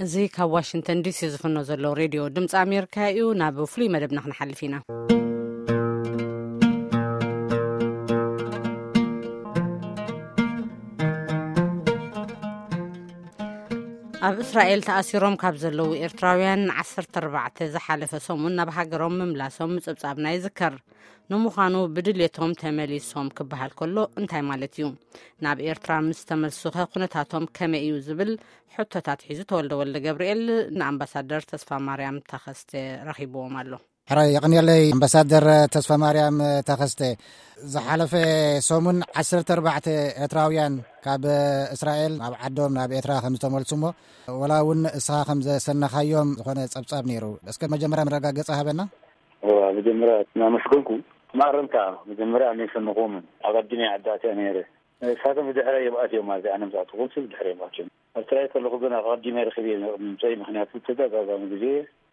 እዚ ካብ ዋሽንግተን ዲሲ ዝፍኖ ዘሎ ሬድዮ ድምፂ ኣሜሪካ እዩ። ናብ ፍሉይ መደብና ክንሓልፍ ኢና። ኣብ እስራኤል ተኣሲሮም ካብ ዘለዉ ኤርትራውያን ዓሰርተ ኣርባዕተ ዝሓለፈ ሰሙን ናብ ሃገሮም ምምላሶም ምጽብጻብና ይዝከር። ንምዃኑ ብድልየቶም ተመሊሶም ክበሃል ከሎ እንታይ ማለት እዩ? ናብ ኤርትራ ምስ ተመልሱኸ ኩነታቶም ከመይ እዩ ዝብል ሕቶታት ሒዙ ተወልደ ወልደ ገብርኤል ንኣምባሳደር ተስፋ ማርያም ተኸስተ ረኺብዎም ኣሎ። ሕራይ የቕንየለይ ኣምባሳደር ተስፋ ማርያም ተኸስተ። ዝሓለፈ ሰሙን ዓሰርተ ኣርባዕተ ኤርትራውያን ካብ እስራኤል ናብ ዓዶም ናብ ኤርትራ ከም ዝተመልሱ እሞ፣ ወላ እውን እስኻ ከም ዘሰነኻዮም ዝኾነ ጸብጻብ ነይሩ። እስከ መጀመርያ መረጋገጺ ሃበና። እዋ፣ መጀመርያ እናመስገንኩ፣ ማረምታ መጀመርያ ኣነ ይሰንኹምን ኣቐዲመ ዓዲ ኣትያ ነይረ። ንሳቶም ብድሕረ እዮም ኣትዮም ማለት ኣነ ምስ ኣተኹም ሲ ብድሕረ እዮም ኣትዮም። ኣብ ትራይ ከለኹ ግን ኣቐዲመ ረኺበ ምፀይ፣ ምክንያቱ ተደጋጋሚ ግዜ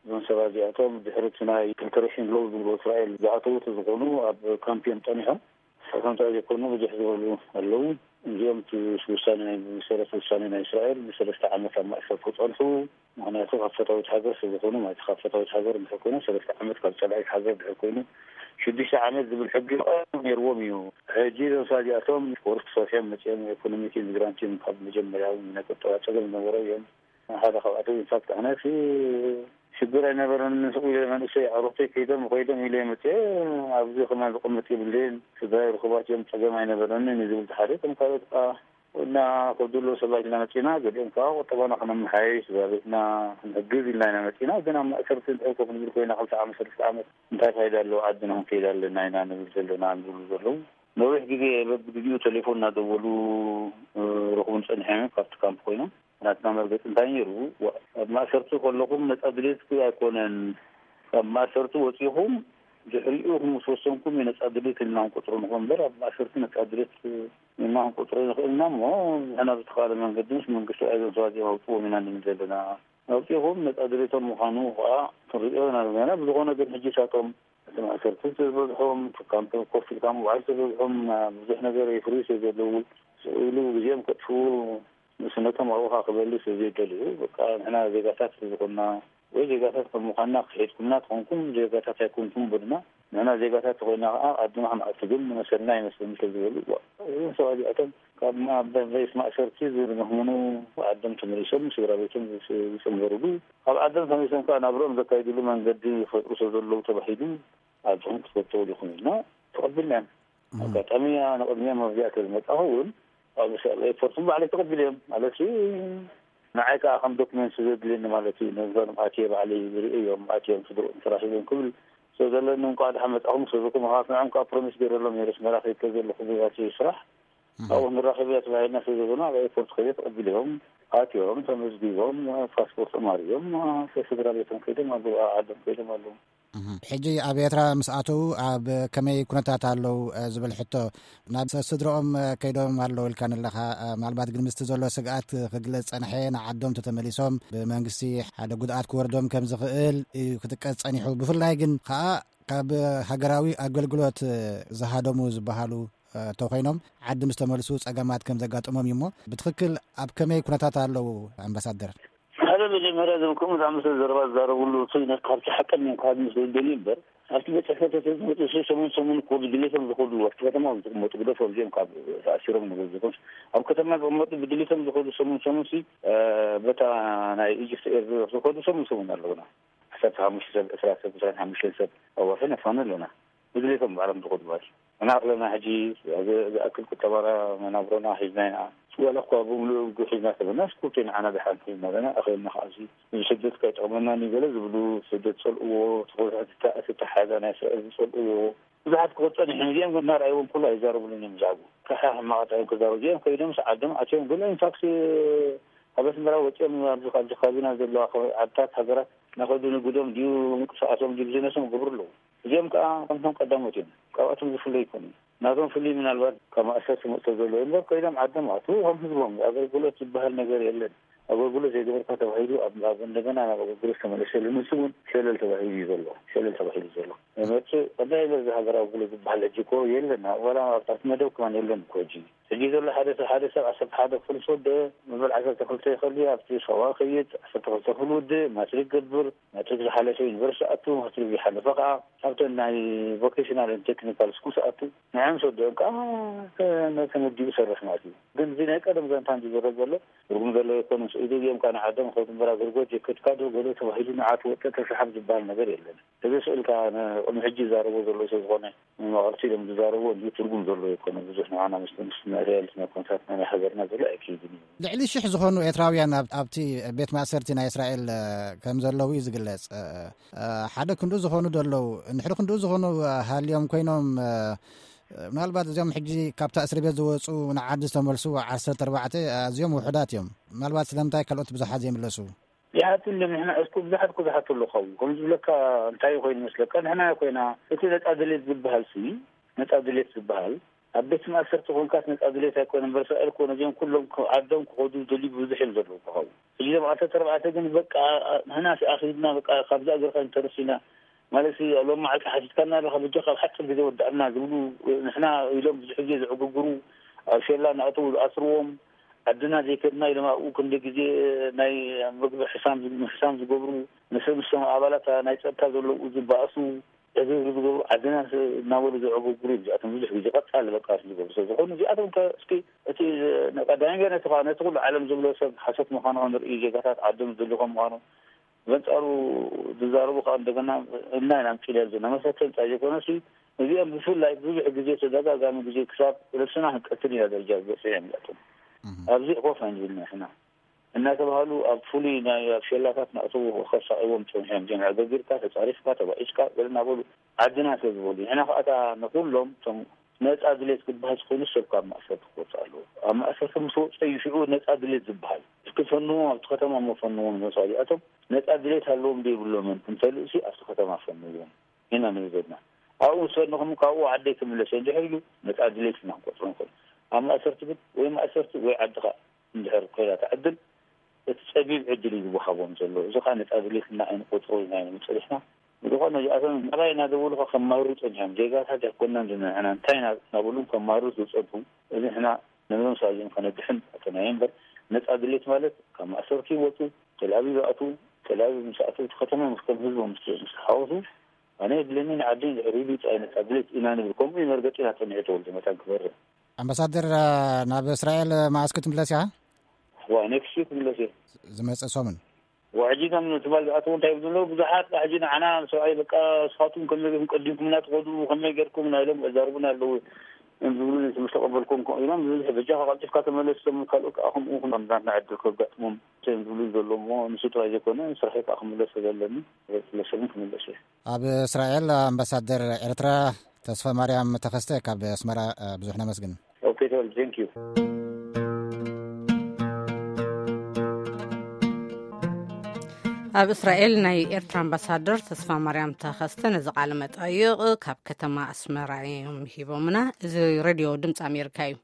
እዞም ሰባት እዚኣቶም ድሕሪ እቲ ናይ ፕሪፓሬሽን ሎው ዝብሎ እስራኤል ዝኣተዉ ተዝኾኑ ኣብ ካምፕ እዮም ጸኒሖም። ንሳቶም ጥራይ ዘይኮኑ ብዙሕ ዝበሉ ኣለዉ። እዚኦም እቲ ውሳኔ ናይ ብሰረት ውሳኔ ናይ እስራኤል ብሰለስተ ዓመት ኣብ ማእሰር ክጸንሑ፣ ምክንያቱ ካብ ፈታዊት ሃገር ስለ ዝኾኑ ማለት ካብ ፈታዊት ሃገር እንድሕር ኮይኖም ሰለስተ ዓመት ካብ ጸላኢት ሃገር ድሕር ኮይኑ ሽዱሽተ ዓመት ዝብል ሕጊ ቀደም ነይርዎም እዩ። ሕጂ እዞም ሰባት እዚኣቶም ወርክ ሰሪሖም መጺኦም ኢኮኖሚክ ኢሚግራንት እዮም። ካብ መጀመርያ እውን ናይ ቁጠባ ጸገም ዝነበሮ እዮም። ሓደ ካብኣቶም ኢንፋክት ኣነ ሲ ሽግር ኣይነበረን። ስቕ ኢለ መንእሰይ ኣሮተይ ከይዶም ከይዶም ኢለ መፅአ ኣብዚ ከማን ዝቕምጥ የብልን። ስድራይ ርኩባት እዮም ጸገም ኣይነበረንን ዝብል ሓደ ከም ካልኦት ከዓ እና ከብድሎ ሰባት ኢልና መፂና። ገሊኦም ከዓ ቁጠባና ክነመሓይሽ ስድራ ቤትና ክንሕግዝ ኢልና ኢና መፂና። ግን ኣብ ማእሰርቲ እንድሕር ኮፍ ንብል ኮይና ክልተ ዓመት ሰለስተ ዓመት እንታይ ፋይዳ ኣለዎ? ዓድና ክንከይድ ኣለና ኢና ንብል ዘለና ንብሉ ዘለዉ። ነዊሕ ግዜ በብግዜኡ ቴሌፎን እናደወሉ ረኽቡን ጸኒሖም ካብቲ ካምፕ ኮይኖም ናትና መርገጺ እንታይ ነይሩ? ዋ-፣ ኣብ ማእሰርቲ ከለኹም ነጻ ድሌት ኣይኮነን። ካብ ማእሰርቲ ወጺኹም ድሕሪኡ ምስ ወሰንኩም እዩ ነጻ ድሌት ኢልና ክንቆጽሮ ንኹን እምበር፣ ኣብ ማእሰርቲ ነጻ ድሌት ኢልና ክንቆጽሮ ንኽእልና እሞ፣ ንሕና ብዝተኻለ መንገዲ ምስ መንግስቲ ኣዞን ሰባዚኦም ኣውጽዎም ኢና ንብል ዘለና። ኣውጺኹም ነጻ ድሌቶም ምዃኑ ኸኣ ክንርእዮ ኢና ዘለና። ብዝኾነ ግን ሕጂ ሳቶም እቲ ማእሰርቲ ዝበዝሖም፣ ትካም ኮፍ ኢልካ ምውዓል ዝበዝሖም፣ ብዙሕ ነገር የፍርዩ ስለ ዘለዉ፣ ስቕ ኢሉ ግዜኦም ከጥፍኡ ንእስነቶም ኣብኡ ኸኣ ክበልዩ ስለ ዘይደልዩ፣ በቃ ንሕና ዜጋታት ስለ ዝኾንና፣ ወይ ዜጋታት ከም ምዃንና ክሒድኩምና ተኾንኩም፣ ዜጋታት ኣይኮንኩም በሉና። ንሕና ዜጋታት ተኾይና ኸኣ ዓድና ክንኣቱ ግን ንመሰልና ኣይመስልን ስለ ዝበሉ፣ እዞም ሰባት እዚኣቶም ካብ ማ-፣ ቤት ማእሰርቲ ዝምህምኑ ዓዶም ተመሊሶም ስድራ ቤቶም ዝጽ-፣ ዝጽንበሩሉ፣ ካብ ዓዶም ተመሊሶም ከኣ ናብርኦም ዘካይድሉ መንገዲ ይፈጥሩ ስለ ዘለዉ ተባሂሉ ዓዶም ክትፈተው ዲኹም ኢልና ተቐቢልና እዮም። እም። ኣጋጣሚ ኣነ ቅድሚኦም ኣብዚኣ ተዝመጻኹ እውን ኣብ ኤርፖርት ባዕለይ ተቐቢለ እዮም። ማለት ንዓይ ከኣ ከም ዶክመንት ስለ ዘድልየኒ ማለት እዩ። ነዞም ኣትየ ባዕለይ ዝርኢ እዮም፣ ኣትዮም ስድርኦም ተራኺቦም ክብል ስለ ዘለኒ እንኳዕ ደሓን መጻኹም ስለ ዝበልኩ፣ ምኽንያቱ ንዕኦም ከኣ ፕሮሚስ ገይረሎም ነይረ፣ ኣስመራ ከይድ ከሎ ዘለኹ ኣብቲ ስራሕ እም። ኣብኡ ንራኸብ እያ ተባሂልና ስለ ዝበሉ ኣብ ኤርፖርት ከይደ ተቐቢሎም፣ ኣትዮም፣ ተመዝጊቦም፣ ፓስፖርቶም ኣርእዮም፣ ስድራ ቤቶም ከይዶም ኣለዉ፣ ዓዶም ከይዶም ኣለዉ። እህ፣ ሕጂ ኣብ ኤርትራ ምስ ኣተዉ ኣብ ከመይ ኩነታት ኣለዉ፣ እ፣ ዝብል ሕቶ፣ ናብ ስ-፣ ስድረኦም፣ እ፣ ከይዶም ኣለዉ ኢልካኒ ኣለኻ። እ፣ ምናልባት ግን ምስቲ ዘሎ ስግኣት ክግለጽ ጸንሐ፣ ንዓዶም ተተመሊሶም ብመንግስቲ ሓደ ጉድኣት ክወርዶም ከም ዝኽእል እዩ ክጥቀስ ጸኒሑ። ብፍላይ ግን ከኣ ካብ ሃገራዊ ኣገልግሎት፣ እ፣ ዝሃደሙ ዝበሃሉ፣ እ፣ ተኾይኖም ዓዲ ምስ ተመልሱ ጸገማት ከም ዘጋጥሞም እዩ እሞ፣ ብትኽክል ኣብ ከመይ ኩነታት ኣለዉ ኣምባሳደር? ሓደ መጀመርያ እዞም ከምኡ ዝኣመሰለ ዘረባ ዝዛረብሉ እቲ ነ-፣ ካብቲ ሓቀኛ ካብ ምስ ዝደልዩ እምበር፣ ኣብቲ ቤት ጽሕፈት ተተዝመጹ ሲ ሰሙን ሰሙን እኮ ብድሌቶም ዝኸዱ ኣብቲ ከተማ ዝቕመጡ ግደፎም፣ እዚኦም ካብ ተኣሲሮም ንብሉ ዝኾንስ ኣብ ከተማ ዝቕመጡ ብድሌቶም ዝኸዱ ሰሙን ሰሙን ሲ፣ እ፣ በታ ናይ ኢጅፕት ኤር ዝኸዱ ሰሙን ሰሙን ኣለውና። ዓሰርተ ሓሙሽተ ሰብ፣ ዕስራ ሰብ፣ ዕስራን ሓሙሽተን ሰብ ኣብ ወርሒ ነፋኑ ኣለና። ብድሌቶም ባዕሎም ዝኸዱ ማለት እዩ። ንኣኽለና ሕጂ ዝ-፣ ዝኣክል ቁጠባና መናብሮና ሒዝና ኢና። ዋላ እኳ ብምሉኡ ሒዝና ተበልና፣ ስኩርቴ ንዓና ደሓን ሒዝና ኣለና። ኣኽለና ከዓ እዚ፣ እዚ ስደት ከይጠቕመና እዩ ገለ ዝብሉ፣ ስደት ጸልእዎ፣ ተኾይታ ትታ-፣ ትተሓዛ ናይ ስራሕ ዝጸልእዎ። ብዙሓት ክወጡ ጸኒሖም። እዚኦም ግን እናረኣይዎም ኩሉ ኣይዛረቡሉን እዮም ብዛዕባኡ። ከሓ ሕማቕ ጥራይ እዮም ክዛረቡ። እዚኦም ከይዶም ሰዓዶም ኣትዮም ግን ኢንፋክት ኣብ ኣስመራ ወጺኦም ኣብዚ፣ ኣብዚ ከባቢና ዘለዋ ዓድታት ሃገራት እናኸዱ ንግዶም ድዩ ምንቅስቃሶም ድዩ ቢዝነሶም ይገብሩ ኣለዉ። እዚኦም ከኣ ከምቶም ቀዳሞት እዮም። ካብኣቶም ዝፍለዩ ኣይኮኑን። ናቶም ፍልይ ምናልባት ካብ ማእሰርቲ መእቶ ዘሎ እምበር ከይዶም ዓዶም ኣትዉ ከም ህዝቦም ኣገልግሎት ዝበሃል ነገር የለን። ኣገልግሎት ዘይገበርካ ተባሂሉ ኣብ ኣብ እንደገና ናብ ኣገልግሎት ተመለሰሉ ንሱ እውን ሸለል ተባሂሉ እዩ ዘሎ። ሸለል ተባሂሉ ዘሎ መርፅ ቀዳይ በዚ ሃገር ኣገልግሎት ዝበሃል ሕጂ እኮ የለን። ዋላ ኣብታት መደብ ከማን የለን እኮ ሕጂ። ሕጂ ዘሎ ሓደ ሰብ ሓደ ሰብ ዓሰርተ ሓደ ክፍል ዝወደአ መበል ዓሰርተ ክልተ ይኸል ኣብቲ ሰዋ ከይድ ዓሰርተ ክልተ ክፍል ውድእ ማትሪክ ገብር ማትሪክ ዝሓለፈ ዩኒቨርሲቲ ኣቱ ማትሪክ ዝሓለፈ ከዓ ኣብተን ናይ ቮኬሽናል ቴክኒካል ስኩል ኣቱ ንዕም ዝወደኦም ከዓ ተመዲቡ ሰርሕ ማለት እዩ። ግን እዚ ናይ ቀደም ዛንታ ዝዝረብ ዘሎ ትርጉም ዘሎ ይኮኑ። ስኢሉ እዮም ከዓ ንዓዶም ከብቲ ምበራ ዝርጎ ጀከትካ ዶ ገሎ ተባሂሉ ንዓት ወጠ ተሰሓብ ዝበሃል ነገር የለን። እዚ ስእልካ ንቅድሚ ሕጂ ዝዛረቦ ዘሎ ሰብ ዝኾነ መቐርቲ ኢሎም ዝዛረቦ እንዲ ትርጉም ዘሎ ይኮኑ። ብዙሕ ንዓና ምስ ምስ ናይ ሪያልቲ ናይ ኮንትራት ናይ ሃገርና ዘሎ ኣይክይድን እዩ። ልዕሊ ሽሕ ዝኾኑ ኤርትራውያን ኣብ- ኣብቲ ቤት ማእሰርቲ ናይ እስራኤል እ፣ ከም ዘለዉ እዩ ዝግለጽ። እ፣ እ፣ ሓደ ክንዱ ዝኾኑ ዶ ኣለዉ? ንሕሪ ክንዱ ዝኾኑ እ፣ ሃልዮም ኮይኖም እ፣ ምናልባት እዚኦም ሕጂ ካብታ እስሪ ቤት ዝወፁ ንዓዲ ዝተመልሱ ዓሰርተ ኣርባዕተ ኣዝዮም ውሑዳት እዮም። ምናልባት ስለምንታይ ካልኦት ብዙሓት ዘይምለሱ? ይሓቱ እንድም ንሕና እስኩ ብዙሓት እኮ ዝሓቱ ኣለዉ። ካብኡ ከም ዝብለካ እንታይ ኮይኑ መስለካ ንሕና ኮይና እቲ ነፃ ድሌት ዝበሃል ሲ ነፃ ድሌት ዝበሃል ኣብ ቤት ማእሰርቲ ኮንካስ ነፃ ድሌት ኣይኮነ እምበር እስራኤል እኮ ነዚኦም ኩሎም ዓዶም ክኸዱ ዝደልዩ ብዙሕ እዮም ዘለዉ። ካብኡ ሕጂ ዞም ዓሰርተ ኣርባዕተ ግን በቃ ንሕና ኣኺብና በቃ ካብዛ እግርካ እንተረሲና ማለት ሎም መዓልቲ ሓቲትካና ኣለካ በጃ ካብ ሓፂር ግዜ ወዳእና ዝብሉ ንሕና ኢሎም ብዙሕ ግዜ ዝዕግግሩ ኣብ ሸላ እናእተዉ ዝኣስርዎም ዓድና ዘይከድና ኢሎም ኣብኡ ክንደ ግዜ ናይ ምግቢ ሕሳም ሕሳም ዝገብሩ ምስ ምስቶም ኣባላት ናይ ፀጥታ ዘለዉ ዝበኣሱ ዕግርግር ዝገብሩ ዓድና እናበሉ ዘዕገጉሩ እዮም። እዚኣቶም ብዙሕ ግዜ ቀፃሊ በቃ ዝገብሩ ሰብ ዝኾኑ እዚኣቶም ከ እስኪ እቲ ቀዳሚ ገ ነቲ ከዓ ነቲ ኩሉ ዓለም ዝብሎ ሰብ ሓሰት ምዃኑ ክንርኢ ዜጋታት ዓዶም ዝደልዩ ከም ምዃኑ በንፃሩ ዝዛረቡ ከዓ እንደገና እና ኢና ምፅልያ ዘለና መሰተ እንታይ ዘይኮነሲ እዚኦም ብፍላይ ብዙሕ ግዜ ተደጋጋሚ ግዜ ክሳብ ርእስና ክንቀትል ኢና ደረጃ ዝበፅሑ እዮም እዚኣቶም። ኣብዚ ኮፍ ኣይንብል ንሕና እናተባሃሉ ኣብ ፍሉይ ናይ ኣብ ሸላታት ናእተው ከሳቅዎም ፀኒሖም እዮም። ዕገጊርካ ተፃሪፍካ ተባኢስካ ገለ እናበሉ ዓድና ስለ ዝበሉ ንሕና ከኣታ ንኩሎም እቶም ነፃ ድሌት ክበሃል ዝኮይኑ ሰብ ካብ ማእሰርቲ ክወፅእ ኣለዎ። ኣብ ማእሰርቲ ምስ ወፀዩ ሽዑ ነፃ ድሌት ዝበሃል እስኪ ፈንዎም ኣብቲ ከተማ መፈንዎም መሳሊኣቶም ነፃ ድሌት ኣለዎም ዶ የብሎምን እንተልእሲ ኣብቲ ከተማ ፈንዎም ኢና ንብል ዘለና። ኣብኡ ምስ ፈንኹም ካብኡ ዓደይ ክምለስ እንድሕር ኢሉ ነፃ ድሌት ኢና ክንቆፅሮ ንክእል። ኣብ ማእሰርቲ ግን ወይ ማእሰርቲ ወይ ዓድካ እንድሕር ኮይና ትዕድል እቲ ፀቢብ ዕድል እዩ ዝወሃቦም ዘሎ። እዚ ከዓ ነፃ ድሌትና ኣይንቆፅሮ ኢና ኢና ንፅሪሕና ብዝኾነ እዚኣቶም ናባይ እናደወሉካ ከማርሩ ፀኒሖም። ዜጋታት ኣይኮናን ዝንሕና እንታይ ኢና እናበሉም ከማርሩ ዝፀንሑ። እዚ ንሕና ነብዞም ሰብኣዚኦም ከነድሕን ኣተናዮ እምበር ነፃ ድሌት ማለት ካብ ማእሰርቲ ይወፁ፣ ተልኣቪቭ ይኣቱ፣ ተልኣቪቭ ምስ ኣተው እቲ ከተማ ምስ ከም ህዝቦም ምስ ምስ ተሓወሱ ኣነ የድልየኒ ንዓዲ ንድሕር ኢሉ ይፃይ ነፃ ድሌት ኢና ንብል። ከምኡ እዩ መርገፂና ፀኒሑ ተወልደ መታን ክበርህ። ኣምባሳደር ናብ እስራኤል መዓስ ክትምለስ ኢኻ? ዋ ኔክስት ዊክ ክምለስ እየ። ዝመፅእ ሰሙን? ዋ ሕጂ ከም ትማል ዝኣተው እንታይ ይብሉ ኣለዉ ብዙሓት ሕጂ ንዓና ሰብኣይ በቃ ንስኻትኩም ከመይ ገርኩም ቀዲምኩም እናትኸዱ ከመይ ገርኩም ናይሎም ዛርቡና ኣለዉ ዝብሉ ምስ ተቐበልኩም ኢሎም ብዙሕ በጃኻ ቀልጢፍካ ተመለስ ቶም ካልኦት ከዓ ከምኡ ከምዛትና ዕድል ከጋጥሞም እዮም ዝብሉ ዘለዉ እሞ ንሱ ጥራይ ዘይኮነ ስራሐይ ከዓ ክምለስ ስለዘለኒ ስለሰብን ክምለስ እየ። ኣብ እስራኤል ኣምባሳደር ኤርትራ ተስፋ ማርያም ተኸስተ ካብ ኣስመራ ብዙሕ ነመስግን። ኦኬ ተወልደ ቴንክ ዩ። ኣብ እስራኤል ናይ ኤርትራ ኣምባሳደር ተስፋ ማርያም ተኸስተ ነዚ ቃለ መጠይቕ ካብ ከተማ ኣስመራ እዮም ሂቦምና። እዚ ሬድዮ ድምፂ ኣሜሪካ እዩ።